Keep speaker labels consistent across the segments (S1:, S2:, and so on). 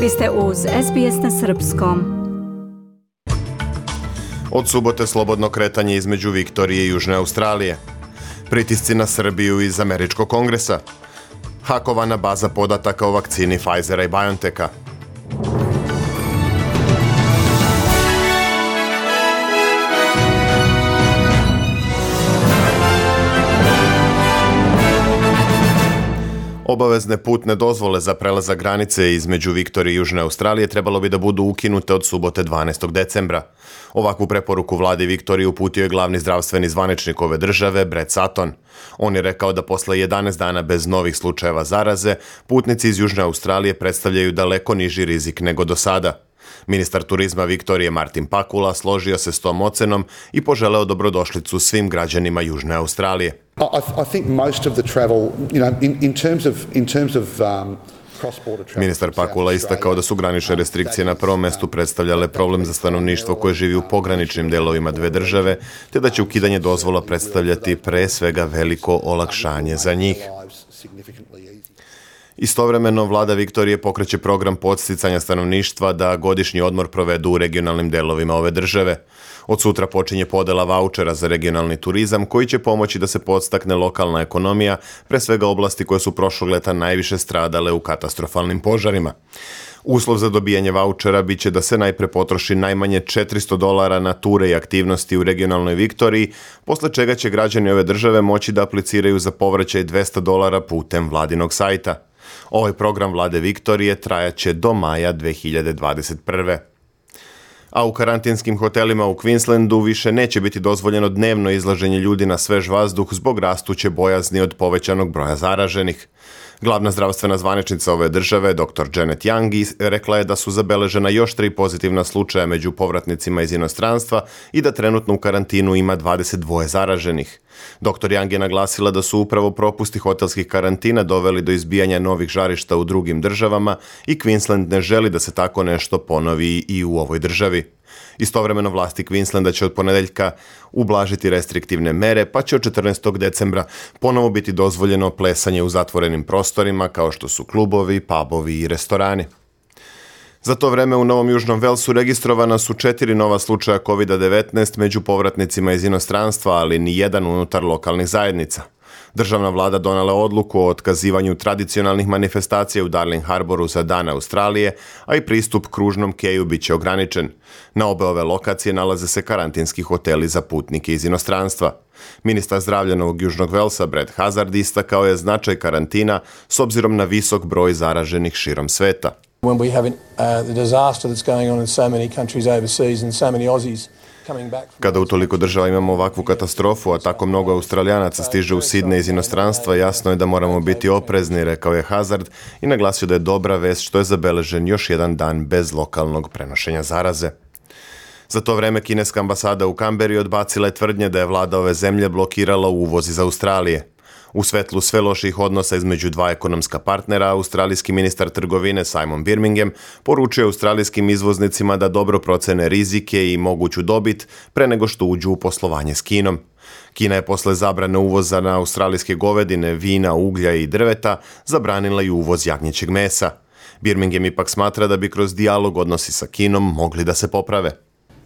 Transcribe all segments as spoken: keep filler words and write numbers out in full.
S1: Vi ste uz S B S na srpskom.
S2: Od subote slobodno kretanje između Viktorije i Južne Australije. Pritisci na Srbiju iz Američkog kongresa. Hakovana baza podataka o vakcini Pfizera i BioNTecha. Obavezne putne dozvole za prelazak granice između Viktorije i Južne Australije trebalo bi da budu ukinute od subote dvanaestog decembra. Ovakvu preporuku vladi Viktorije uputio je glavni zdravstveni zvaničnik ove države, Brett Sutton. On je rekao da posle jedanaest dana bez novih slučajeva zaraze, putnici iz Južne Australije predstavljaju daleko niži rizik nego do sada. Ministar turizma Viktorije Martin Pakula složio se s tom ocenom i poželeo dobrodošlicu svim građanima Južne Australije.
S3: I think most of the travel, you know, in, in terms of in terms of um, cross-border travel.
S2: Ministar Pakula istakao da su granične restrikcije na prvom mestu predstavljale problem za stanovništvo koje živi u pograničnim delovima dve države, te da će ukidanje dozvola predstavljati pre svega veliko olakšanje za njih. Istovremeno, vlada Viktorije pokreće program podsticanja stanovništva da godišnji odmor provedu u regionalnim delovima ove države. Od sutra počinje podela vaučera za regionalni turizam koji će pomoći da se podstakne lokalna ekonomija, pre svega oblasti koje su prošlog leta najviše stradale u katastrofalnim požarima. Uslov za dobijanje vaučera biće da se najpre potroši najmanje četiristo dolara na ture i aktivnosti u regionalnoj Viktoriji, posle čega će građani ove države moći da apliciraju za povraćaj dvesta dolara putem vladinog sajta. Ovaj program vlade Viktorije trajaće do maja dve hiljade dvadeset prve. A u karantinskim hotelima u Queenslandu više neće biti dozvoljeno dnevno izlaženje ljudi na svež vazduh zbog rastuće bojazni od povećanog broja zaraženih. Glavna zdravstvena zvaničnica ove države, doktor Janet Young, rekla je da su zabeležena još tri pozitivna slučaja među povratnicima iz inostranstva i da trenutno u karantinu ima dvadeset dva zaraženih. doktor Young je naglasila da su upravo propusti hotelskih karantina doveli do izbijanja novih žarišta u drugim državama i Queensland ne želi da se tako nešto ponovi i u ovoj državi. Istovremeno vlasti Queenslanda će od ponedeljka ublažiti restriktivne mere, pa će od četrnaestog decembra ponovo biti dozvoljeno plesanje u zatvorenim prostorima kao što su klubovi, pubovi i restorani. Za to vreme u Novom Južnom Velsu registrovana su četiri nova slučaja kovid devetnaest među povratnicima iz inostranstva, ali ni jedan unutar lokalnih zajednica. Državna vlada donela odluku o otkazivanju tradicionalnih manifestacija u Darling Harboru za Dan Australije, a i pristup kružnom keju bit će ograničen. Na obe ove lokacije nalaze se karantinski hoteli za putnike iz inostranstva. Ministar zdravlja Novog Južnog Velsa Brett Hazard istakao je značaj karantina s obzirom na visok broj zaraženih širom sveta.
S4: When we have uh, the disaster that's going on in so many countries overseas and so many Aussies.
S2: Kada u toliko država imamo ovakvu katastrofu, a tako mnogo Australijanaca stiže u Sidnej iz inostranstva, jasno je da moramo biti oprezni, rekao je Hazard i naglasio da je dobra vest što je zabeležen još jedan dan bez lokalnog prenošenja zaraze. Za to vreme kineska ambasada u Kamberi odbacila je tvrdnje da je vlada ove zemlje blokirala uvoz iz Australije. U svetlu sve loših odnosa između dva ekonomska partnera, australijski ministar trgovine Simon Birmingham poručuje australijskim izvoznicima da dobro procene rizike i moguću dobit pre nego što uđu u poslovanje s Kinom. Kina je posle zabrane uvoza na australijske govedine, vina, uglja i drveta zabranila i uvoz jagnjećeg mesa. Birmingham ipak smatra da bi kroz dijalog odnosi sa Kinom mogli da se poprave.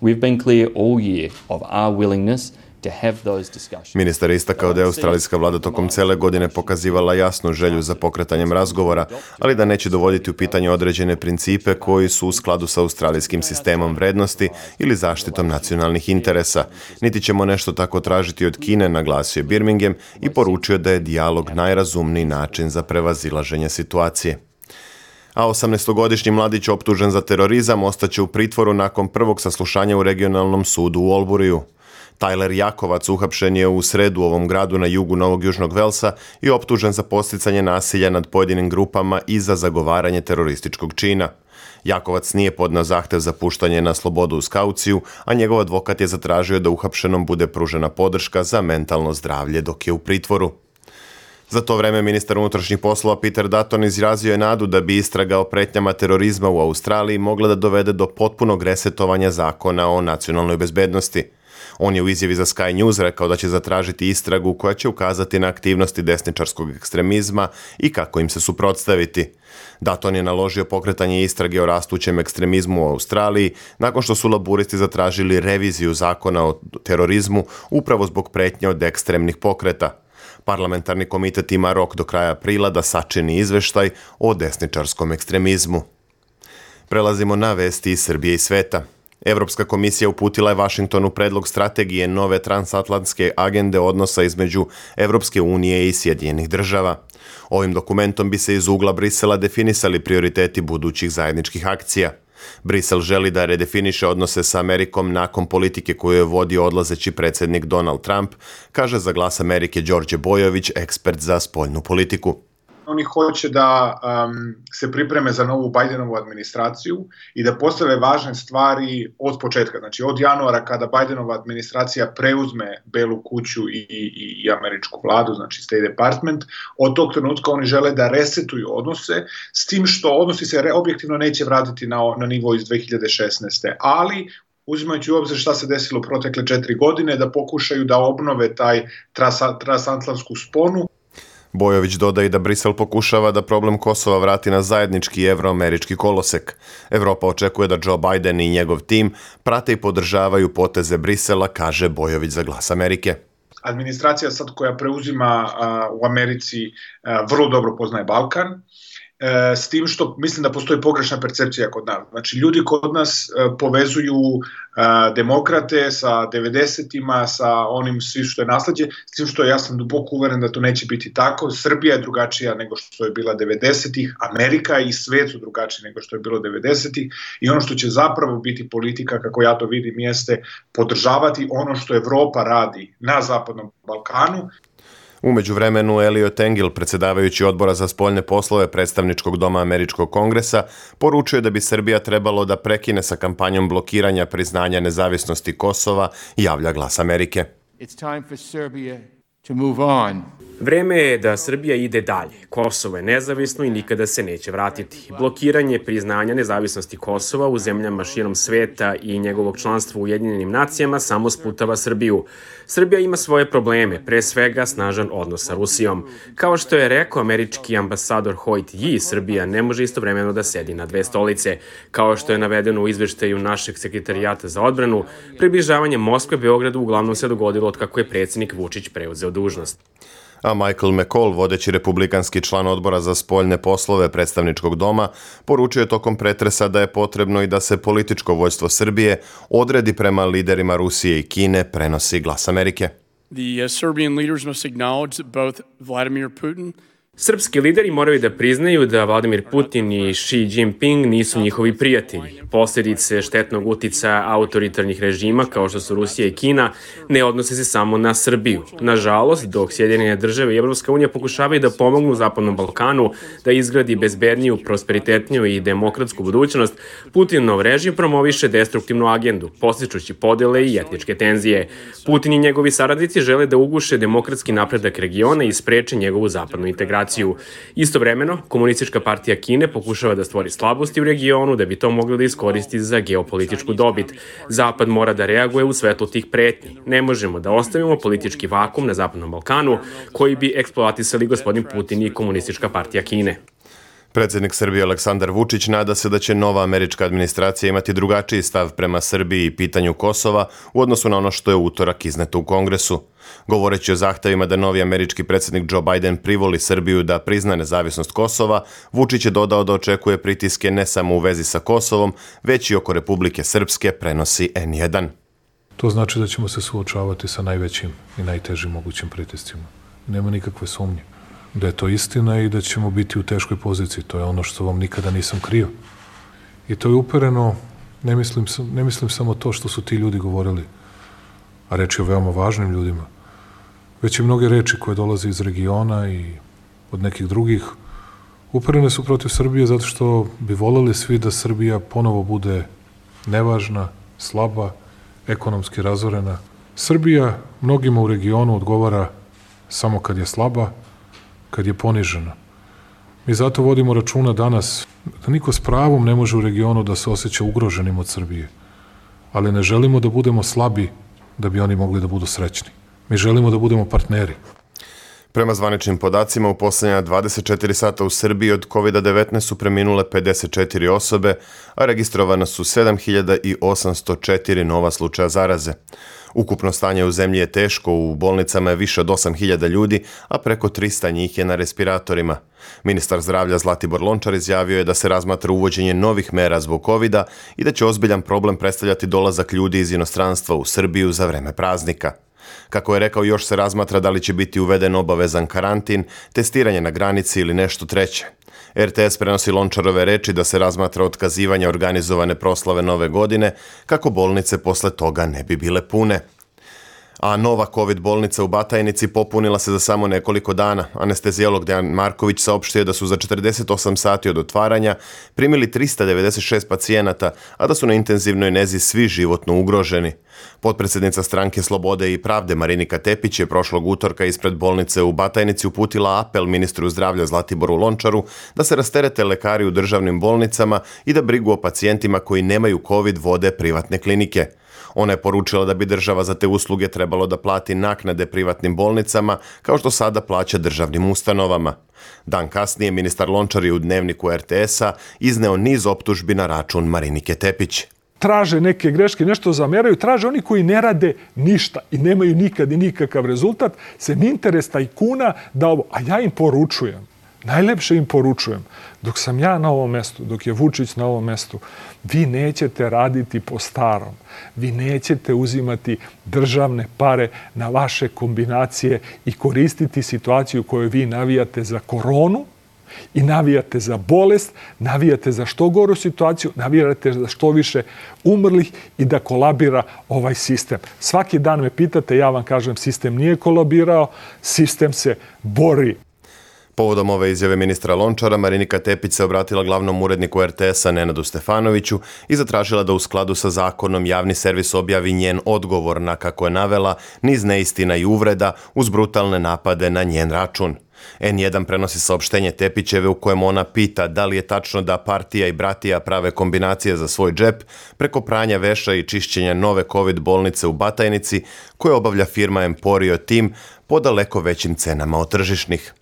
S5: We've been clear all year of our willingness to have those discussions.
S2: Ministar je istakao da je australijska vlada tokom cele godine pokazivala jasnu želju za pokretanjem razgovora, ali da neće dovoditi u pitanje određene principe koji su u skladu sa australijskim sistemom vrednosti ili zaštitom nacionalnih interesa. Niti ćemo nešto tako tražiti od Kine, naglasio je Birmingham i poručio da je dijalog najrazumniji način za prevazilaženje situacije. A osamnaestogodišnji mladić optužen za terorizam ostaće u pritvoru nakon prvog saslušanja u regionalnom sudu u Alburyju. Tyler Jakovac uhapšen je u sredu u ovom gradu na jugu Novog Južnog Velsa i optužen za podsticanje nasilja nad pojedinim grupama i za zagovaranje terorističkog čina. Jakovac nije podneo zahtev za puštanje na slobodu uz kauciju, a njegov advokat je zatražio da uhapšenom bude pružena podrška za mentalno zdravlje dok je u pritvoru. Za to vreme ministar unutrašnjih poslova Peter Dutton izrazio je nadu da bi istraga o pretnjama terorizma u Australiji mogla da dovede do potpunog resetovanja zakona o nacionalnoj bezbednosti. On je u izjavi za Sky News rekao da će zatražiti istragu koja će ukazati na aktivnosti desničarskog ekstremizma i kako im se suprotstaviti. Dutton je naložio pokretanje istrage o rastućem ekstremizmu u Australiji nakon što su laburisti zatražili reviziju zakona o terorizmu upravo zbog pretnje od ekstremnih pokreta. Parlamentarni komitet ima rok do kraja aprila da sačini izveštaj o desničarskom ekstremizmu. Prelazimo na vesti iz Srbije i sveta. Evropska komisija uputila je Vašingtonu predlog strategije nove transatlantske agende odnosa između Evropske unije i Sjedinjenih država. Ovim dokumentom bi se iz ugla Brisela definisali prioriteti budućih zajedničkih akcija. Brisel želi da redefiniše odnose sa Amerikom nakon politike koju je vodio odlazeći predsjednik Donald Trump, kaže za Glas Amerike Đorđe Bojović, ekspert za spoljnu politiku.
S6: Oni hoće da um, se pripreme za novu Bidenovu administraciju i da postave važne stvari od početka. Znači od januara kada Bidenova administracija preuzme Belu kuću i, i, i američku vladu, znači State Department, od tog trenutka oni žele da resetuju odnose, s tim što odnosi se re, objektivno neće vratiti na, na nivo iz dve hiljade šesnaeste. Ali uzimajući u obzir šta se desilo u protekle četiri godine, da pokušaju da obnove taj transatlantsku sponu.
S2: Bojović dodaje da Brisel pokušava da problem Kosova vrati na zajednički evroamerički kolosek. Evropa očekuje da Joe Biden i njegov tim prate i podržavaju poteze Brisela, kaže Bojović za Glas Amerike.
S6: Administracija sad koja preuzima a, u Americi a, vrlo dobro poznaje Balkan, e, s tim što mislim da postoji pogrešna percepcija kod nas. Znači ljudi kod nas e, povezuju e, demokrate sa devedesetima, sa onim svi što je nasleđe, s tim što ja sam duboko uveren da to neće biti tako. Srbija je drugačija nego što je bila devedesetih, Amerika i svet su drugačiji nego što je bilo devedesetih i ono što će zapravo biti politika, kako ja to vidim, jeste podržavati ono što Evropa radi na Zapadnom Balkanu.
S2: U međuvremenu Elliot Engel, predsjedavajući odbora za spoljne poslove predstavničkog doma Američkog kongresa, poručuje da bi Srbija trebalo da prekine sa kampanjom blokiranja priznanja nezavisnosti Kosova, javlja Glas Amerike.
S7: It's time for Serbia to move on.
S8: Vreme je da Srbija ide dalje. Kosovo je nezavisno i nikada se neće vratiti. Blokiranje priznanja nezavisnosti Kosova u zemljama širom sveta i njegovog članstva u Ujedinjenim nacijama samo sputava Srbiju. Srbija ima svoje probleme, pre svega snažan odnos sa Rusijom. Kao što je rekao američki ambasador Hoyt Yi, Srbija ne može istovremeno da sedi na dve stolice. Kao što je navedeno u izveštaju našeg sekretarijata za odbranu, približavanje Moskve Beogradu uglavnom se dogodilo od kako je predsjednik Vučić preuzeo dužnost.
S2: A Michael McCall, vodeći republikanski član odbora za spoljne poslove predstavničkog doma, poručuje tokom pretresa da je potrebno i da se političko vođstvo Srbije odredi prema liderima Rusije i Kine, prenosi Glas Amerike.
S9: The uh, Serbian leaders must acknowledge that both Vladimir Putin
S8: Srpski lideri moraju da priznaju da Vladimir Putin i Xi Jinping nisu njihovi prijatelji. Posljedice štetnog uticaja autoritarnih režima kao što su Rusija i Kina ne odnose se samo na Srbiju. Nažalost, dok Sjedinjene države i Evropska unija pokušavaju da pomognu Zapadnom Balkanu da izgradi bezbedniju, prosperitetniju i demokratsku budućnost, Putinov režim promoviše destruktivnu agendu, podstičući podele i etničke tenzije. Putin i njegovi saradnici žele da uguše demokratski napredak regiona i spreče njegovu zapadnu integraciju. Istovremeno, Komunistička partija Kine pokušava da stvori slabosti u regionu da bi to moglo da iskoristi za geopolitičku dobit. Zapad mora da reaguje u svetlu tih pretnji. Ne možemo da ostavimo politički vakum na Zapadnom Balkanu koji bi eksploatisali gospodin Putin i Komunistička partija Kine.
S2: Predsjednik Srbije Aleksandar Vučić nada se da će nova američka administracija imati drugačiji stav prema Srbiji i pitanju Kosova u odnosu na ono što je u utorak izneto u Kongresu. Govoreći o zahtevima da novi američki predsjednik Joe Biden privoli Srbiju da prizna nezavisnost Kosova, Vučić je dodao da očekuje pritiske ne samo u vezi sa Kosovom, već i oko Republike Srpske, prenosi en jedan.
S10: To znači da ćemo se suočavati sa najvećim i najtežim mogućim pritiscima. Nema nikakve sumnje da je to istina i da ćemo biti u teškoj poziciji. To je ono što vam nikada nisam krio. I to je upereno, ne mislim, ne mislim samo to što su ti ljudi govorili, a reč je o veoma važnim ljudima, već i mnoge reči koje dolaze iz regiona i od nekih drugih, uperene su protiv Srbije zato što bi voleli svi da Srbija ponovo bude nevažna, slaba, ekonomski razorena. Srbija mnogima u regionu odgovara samo kad je slaba, kad je ponižena. Mi zato vodimo računa danas da niko s pravom ne može u regionu da se osjeća ugroženim od Srbije, ali ne želimo da budemo slabi da bi oni mogli da budu srećni. Mi želimo da budemo partneri.
S2: Prema zvaničnim podacima, u posljednja dvadeset četiri sata u Srbiji od kovid devetnaest su preminule pedeset četiri osobe, a registrovana su sedam hiljada osamsto četiri nova slučaja zaraze. Ukupno stanje u zemlji je teško, u bolnicama je više od osam hiljada ljudi, a preko trista njih je na respiratorima. Ministar zdravlja Zlatibor Lončar izjavio je da se razmatra uvođenje novih mera zbog kovida i da će ozbiljan problem predstavljati dolazak ljudi iz inostranstva u Srbiju za vreme praznika. Kako je rekao, još se razmatra da li će biti uveden obavezan karantin, testiranje na granici ili nešto treće. er te es prenosi Lončarove reči da se razmatra otkazivanje organizovane proslave Nove godine, kako bolnice posle toga ne bi bile pune. A nova COVID bolnica u Batajnici popunila se za samo nekoliko dana. Anesteziolog Dejan Marković saopštio da su za četrdeset osam sati od otvaranja primili trista devedeset šest pacijenata, a da su na intenzivnoj nezi svi životno ugroženi. Potpredsjednica Stranke Slobode i Pravde Marinika Tepić je prošlog utorka ispred bolnice u Batajnici uputila apel ministru zdravlja Zlatiboru Lončaru da se rasterete lekari u državnim bolnicama i da brigu o pacijentima koji nemaju COVID vode privatne klinike. Ona je poručila da bi država za te usluge trebalo da plati naknade privatnim bolnicama, kao što sada plaća državnim ustanovama. Dan kasnije ministar Lončar je u dnevniku er te esa izneo niz optužbi na račun Marinike Tepić.
S11: Traže neke greške, nešto zameraju, traže oni koji ne rade ništa i nemaju nikad i nikakav rezultat, se interes tajkuna da ovo, a ja im poručujem, najlepše im poručujem, dok sam ja na ovom mestu, dok je Vučić na ovom mestu, vi nećete raditi po starom, vi nećete uzimati državne pare na vaše kombinacije i koristiti situaciju koju vi navijate za koronu, i navijate za bolest, navijate za što goru situaciju, navijate za što više umrlih i da kolabira ovaj sistem. Svaki dan me pitate, ja vam kažem, sistem nije kolabirao, sistem se bori.
S2: Povodom ove izjave ministra Lončara, Marinika Tepić se obratila glavnom uredniku er te esa Nenadu Stefanoviću i zatražila da u skladu sa zakonom javni servis objavi njen odgovor na, kako je navela, niz neistina i uvreda uz brutalne napade na njen račun. en jedan prenosi saopštenje Tepićeve u kojem ona pita da li je tačno da partija i bratija prave kombinacije za svoj džep preko pranja veša i čišćenja nove COVID bolnice u Batajnici koje obavlja firma Emporio Team po daleko većim cenama od tržišnih.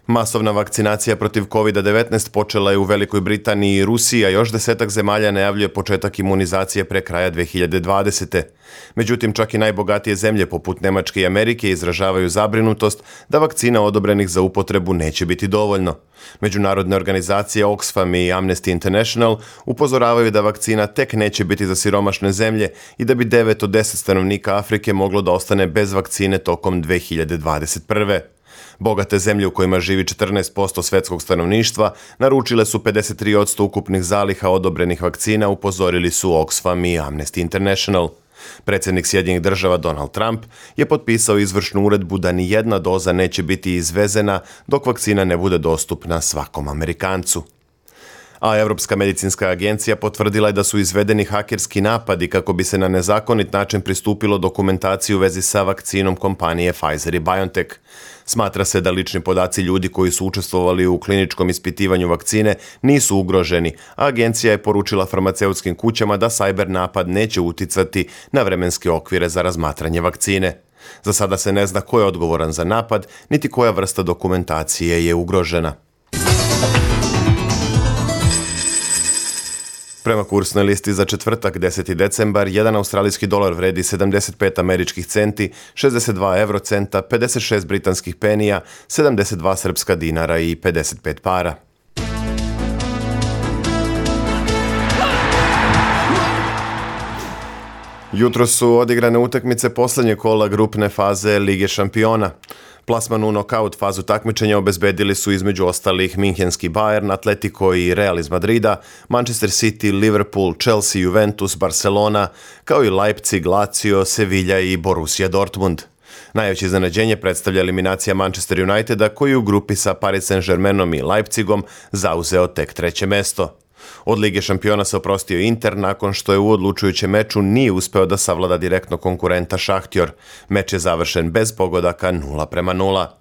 S2: Masovna vakcinacija protiv kovid devetnaest počela je u Velikoj Britaniji i Rusiji, a još desetak zemalja najavljuje početak imunizacije pre kraja dve hiljade dvadesete. Međutim, čak i najbogatije zemlje poput Nemačke i Amerike izražavaju zabrinutost da vakcina odobrenih za upotrebu neće biti dovoljno. Međunarodne organizacije Oxfam i Amnesty International upozoravaju da vakcina tek neće biti za siromašne zemlje i da bi devet od deset stanovnika Afrike moglo da ostane bez vakcine tokom dve hiljade dvadeset prve. Bogate zemlje u kojima živi četrnaest posto svetskog stanovništva naručile su pedeset tri posto ukupnih zaliha odobrenih vakcina, upozorili su Oxfam i Amnesty International. Predsjednik Sjedinjenih država Donald Trump je potpisao izvršnu uredbu da ni jedna doza neće biti izvezena dok vakcina ne bude dostupna svakom Amerikancu. A Evropska medicinska agencija potvrdila je da su izvedeni hakerski napadi kako bi se na nezakonit način pristupilo dokumentaciji u vezi sa vakcinom kompanije Pfizer i BioNTech. Smatra se da lični podaci ljudi koji su učestvovali u kliničkom ispitivanju vakcine nisu ugroženi, a agencija je poručila farmaceutskim kućama da sajber napad neće uticati na vremenske okvire za razmatranje vakcine. Za sada se ne zna ko je odgovoran za napad, niti koja vrsta dokumentacije je ugrožena. Prema kursnoj listi za četvrtak deseti decembar, jedan australijski dolar vredi sedamdeset pet američkih centi, šezdeset dva evrocenta, pedeset šest britanskih penija, sedamdeset dva srpska dinara i pedeset pet para. Jutro su odigrane utakmice posljednje kola grupne faze Lige šampiona. Plasman u nokaut fazu takmičenja obezbedili su između ostalih Minhenski Bayern, Atletico i Real iz Madrida, Manchester City, Liverpool, Chelsea, Juventus, Barcelona, kao i Leipzig, Lazio, Sevilla i Borussia Dortmund. Najveće iznenađenje predstavlja eliminacija Manchester Uniteda, koji u grupi sa Paris Saint-Germainom i Leipzigom zauzeo tek treće mesto. Od Lige šampiona se oprostio Inter nakon što je u odlučujućem meču nije uspeo da savlada direktno konkurenta Šahtjor. Meč je završen bez pogodaka nula prema nula.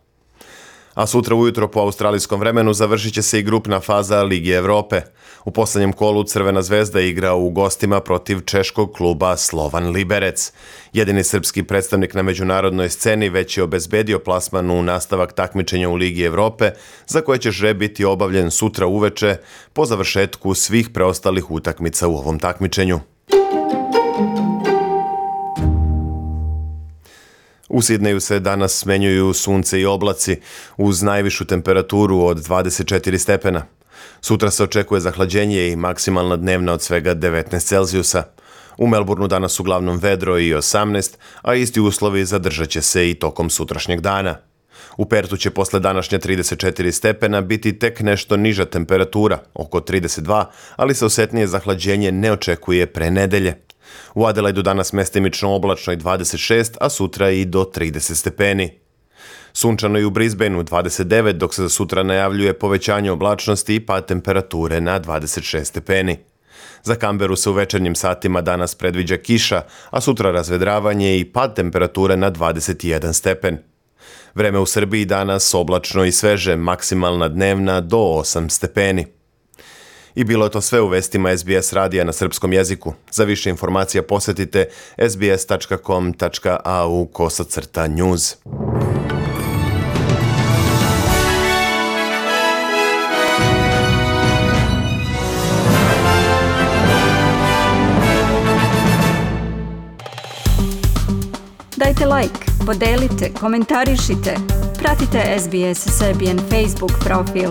S2: A sutra ujutro po australijskom vremenu završit će se i grupna faza Ligi Evrope. U posljednjem kolu Crvena zvezda igra u gostima protiv češkog kluba Slovan Liberec. Jedini srpski predstavnik na međunarodnoj sceni već je obezbedio plasman u nastavak takmičenja u Ligi Evrope, za koje će žreb biti obavljen sutra uveče po završetku svih preostalih utakmica u ovom takmičenju. U Sidneju se danas smenjuju sunce i oblaci uz najvišu temperaturu od dvadeset četiri stepena. Sutra se očekuje zahlađenje i maksimalna dnevna od svega devetnaest Celzijusa. U Melbourneu danas uglavnom vedro i osamnaest, a isti uslovi zadržat će se i tokom sutrašnjeg dana. U Pertu će posle današnje trideset četiri stepena biti tek nešto niža temperatura, oko trideset dva, ali se osetnije zahlađenje ne očekuje pre nedelje. U Adelaidu danas mestimično oblačno i dvadeset šest, a sutra i do trideset stepeni. Sunčano i u Brisbaneu dvadeset devet, dok se za sutra najavljuje povećanje oblačnosti i pad temperature na dvadeset šest stepeni. Za Kamberu se u večernjim satima danas predviđa kiša, a sutra razvedravanje i pad temperature na dvadeset jedan stepen. Vreme u Srbiji danas oblačno i sveže, maksimalna dnevna do osam stepeni. I bilo je to sve u vestima S B S radija na srpskom jeziku. Za više informacija posjetite s b s tačka com tačka a u kosacrta news.
S1: Dajte like, podelite, komentarišite. Pratite S B S Serbian Facebook profil.